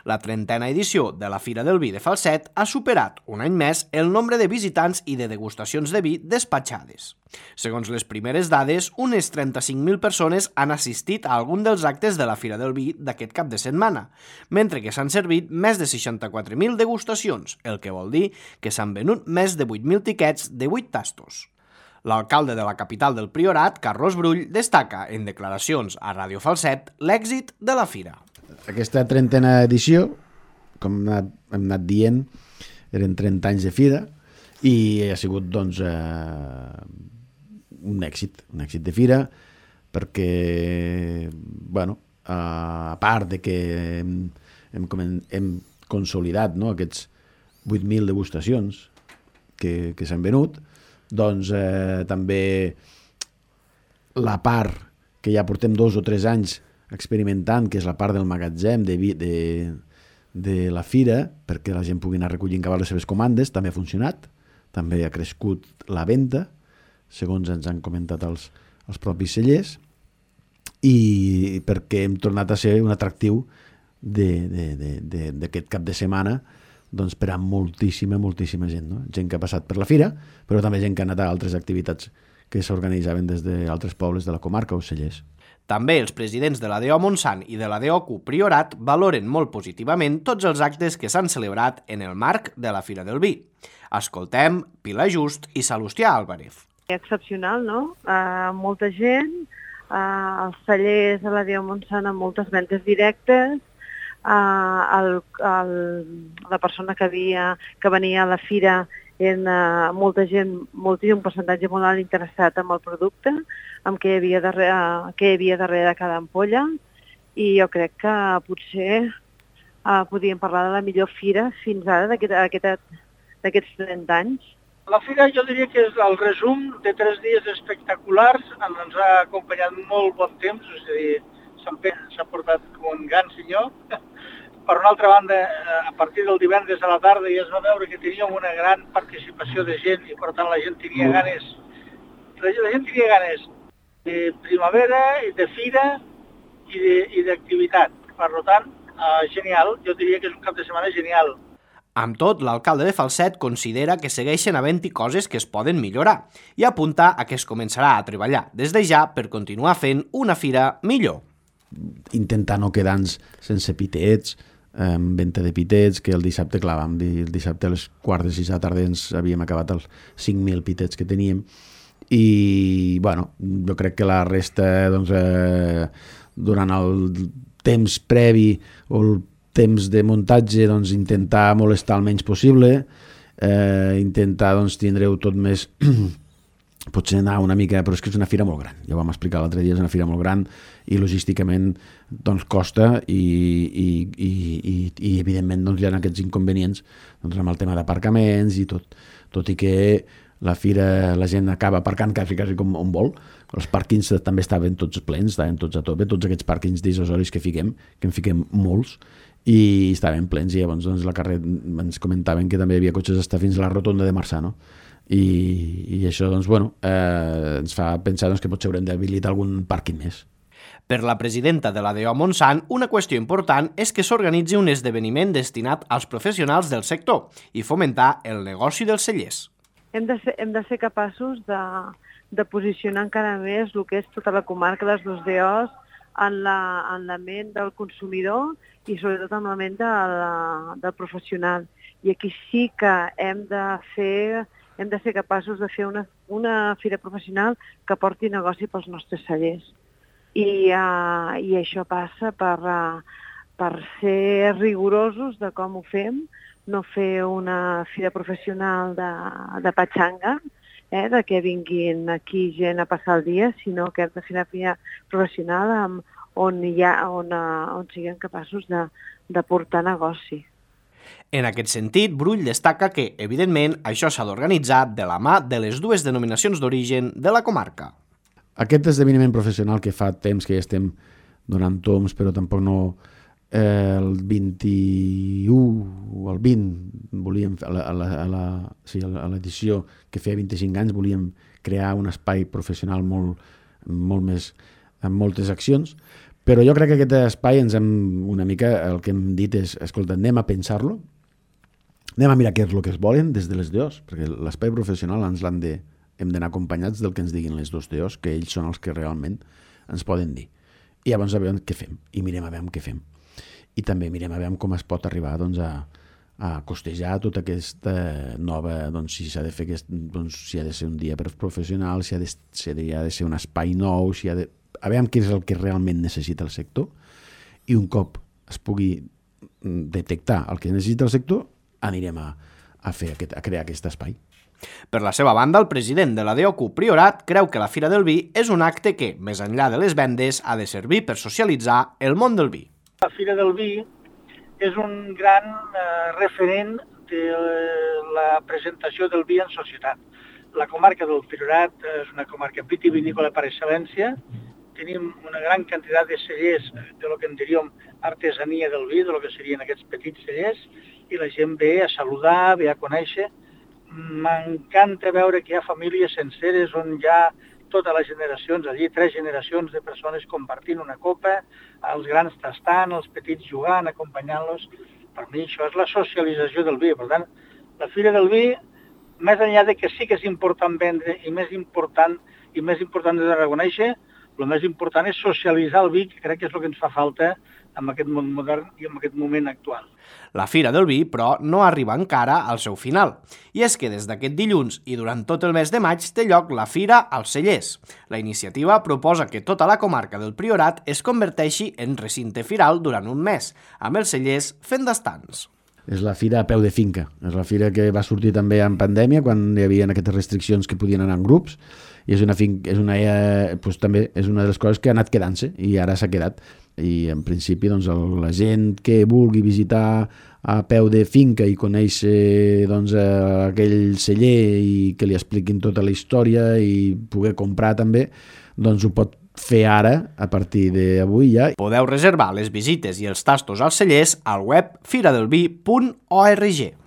La 30a edició de la Fira del Vi de Falset ha superat, un any més, el nombre de visitants i de degustacions de vi despatxades. Segons les primeres dades, unes 35.000 persones han assistit a algun dels actes de la Fira del Vi d'aquest cap de setmana, mentre que s'han servit més de 64.000 degustacions, el que vol dir que s'han venut més de 8.000 tiquets de 8 tastos. L'alcalde de la capital del Priorat, Carlos Brull, destaca en declaracions a Ràdio Falset l'èxit de la fira. Aquesta 30a edició, com hem anat dient, eren 30 anys de fira i ha sigut doncs, un èxit de fira perquè, bueno, a part de que hem consolidat, no, aquests 8.000 degustacions que s'han venut, doncs també la part que ja portem 2 o 3 anys experimentant, que és la part del magatzem de la fira, perquè la gent pugui anar recollint cabal les seves comandes, també ha funcionat, també ha crescut la venda, segons ens han comentat els propis cellers, i perquè hem tornat a ser un atractiu d'aquest cap de setmana doncs per a moltíssima gent, no? Gent que ha passat per la fira, però també gent que ha anat a altres activitats que s'organitzaven des d'altres pobles de la comarca o cellers. També els presidents de la DO Montsant i de la DOQ Priorat valoren molt positivament tots els actes que s'han celebrat en el marc de la Fira del Vi. Escoltem Pilar Just i Salustià Álvarez. Excepcional, no? Molta gent, els cellers de la DO Montsant amb moltes ventes directes, la persona que venia a la fira era molta gent, un percentatge molt alt interessat en el producte, amb què hi havia darrere de cada ampolla, i jo crec que potser podríem parlar de la millor fira fins ara d'aquests 30 anys. La fira jo diria que és el resum de 3 dies espectaculars, ens ha acompanyat molt bon temps, és a dir, s'ha portat com un gran senyor. Per una altra banda, a partir del divendres a la tarda ja es va veure que teníem una gran participació de gent i per tant la gent tenia ganes de primavera, de fira i d'activitat. Per tant, genial, jo diria que és un cap de setmana genial. Amb tot, l'alcalde de Falset considera que segueixen havent-hi coses que es poden millorar i apunta a que es començarà a treballar des de ja per continuar fent una fira millor. Intentar no quedar-nos sense pitets, venda de pitets, que el dissabte, clar, vam dir, el dissabte a les 4:45 de la tarda ens havíem acabat els 5.000 pitets que teníem i, bueno, jo crec que la resta, doncs, durant el temps previ o el temps de muntatge, doncs, intentar molestar el menys possible, intentar, doncs, tindre-ho tot més... potser anar una mica, però és que és una fira molt gran, ja ho vam explicar l'altre dia, és una fira molt gran i logísticament doncs costa i evidentment doncs hi ha aquests inconvenients doncs amb el tema d'aparcaments i tot i que la fira la gent acaba aparcant quasi com on vol, els pàrquings també estaven tots plens, estaven tots a tope, tots aquests pàrquings dissuasoris que en fiquem molts i estaven plens i llavors doncs la carrera ens comentaven que també hi havia cotxes fins a la rotonda de Marçà, no? I això doncs, bueno, ens fa pensar doncs, que potser haurem d'habilitar algun pàrquing més. Per la presidenta de la DO Montsant, una qüestió important és que s'organitzi un esdeveniment destinat als professionals del sector i fomentar el negoci dels cellers. Hem de ser capaços de posicionar encara més el que és tota la comarca de les 2 DOs en la ment del consumidor i sobretot en la ment del professional. I aquí sí que hem de ser capaços de fer una fira professional que porti negoci pels nostres cellers. I això passa per ser rigorosos de com ho fem, no fer una fira professional de patxanga, de que vinguin aquí gent a passar el dia, sinó que hem de fer una fira professional on siguem capaços de portar negoci. En aquest sentit, Brull destaca que, evidentment, això s'ha d'organitzar de la mà de les 2 denominacions d'origen de la comarca. Aquest esdeveniment professional que fa temps que ja estem donant toms, però tampoc no el 21 o el 20, volíem, a l'edició que feia 25 anys, volíem crear un espai professional molt més, amb moltes accions, Però jo crec que aquest espai una mica el que hem dit és, escolta, anem a pensar-lo, anem a mirar què és el que es volen des de les DOs, perquè l'espai professional hem d'anar acompanyats del que ens diguin les dos DOs, que ells són els que realment ens poden dir. I llavors a veure què fem, i mirem a veure què fem. I també mirem a veure com es pot arribar doncs, a costejar tota aquesta nova, doncs, si s'ha de fer si ha de ser un dia per professional, si ha de ser un espai nou, a veure què és el que realment necessita el sector, i un cop es pugui detectar el que necessita el sector, anirem a crear aquest espai. Per la seva banda, el president de la DOCU Priorat creu que la Fira del Vi és un acte que, més enllà de les vendes, ha de servir per socialitzar el món del vi. La Fira del Vi és un gran referent de la presentació del vi en societat. La comarca del Priorat és una comarca vitivinícola per excel·lència. Tenim una gran quantitat de cellers de lo que en diríem artesania del vi, de lo que serien aquests petits cellers, i la gent ve a saludar, ve a conèixer. M'encanta veure que hi ha famílies senceres on hi ha totes les generacions, allí 3 generacions de persones compartint una copa, els grans tastant, els petits jugant, acompanyant-los. Per mi això és la socialització del vi. Per tant, la Fira del Vi, més enllà de que sí que és important vendre i més important de reconèixer, el més important és socialitzar el vi, que crec que és el que ens fa falta en aquest món modern i en aquest moment actual. La Fira del Vi, però, no arriba encara al seu final. I és que des d'aquest dilluns i durant tot el mes de maig té lloc la Fira als Cellers. La iniciativa proposa que tota la comarca del Priorat es converteixi en recinte firal durant un mes, amb els cellers fent d'estants. És la fira a peu de finca. És la fira que va sortir també en pandèmia, quan hi havia aquestes restriccions que podien anar en grups, i també és una de les coses que ha anat quedant-se i ara s'ha quedat. I en principi doncs, la gent que vulgui visitar a peu de finca i conèixer doncs, aquell celler i que li expliquin tota la història i poder comprar també, doncs ho pot fer ara, a partir d'avui ja. Podeu reservar les visites i els tastos als cellers al web firadelvi.org.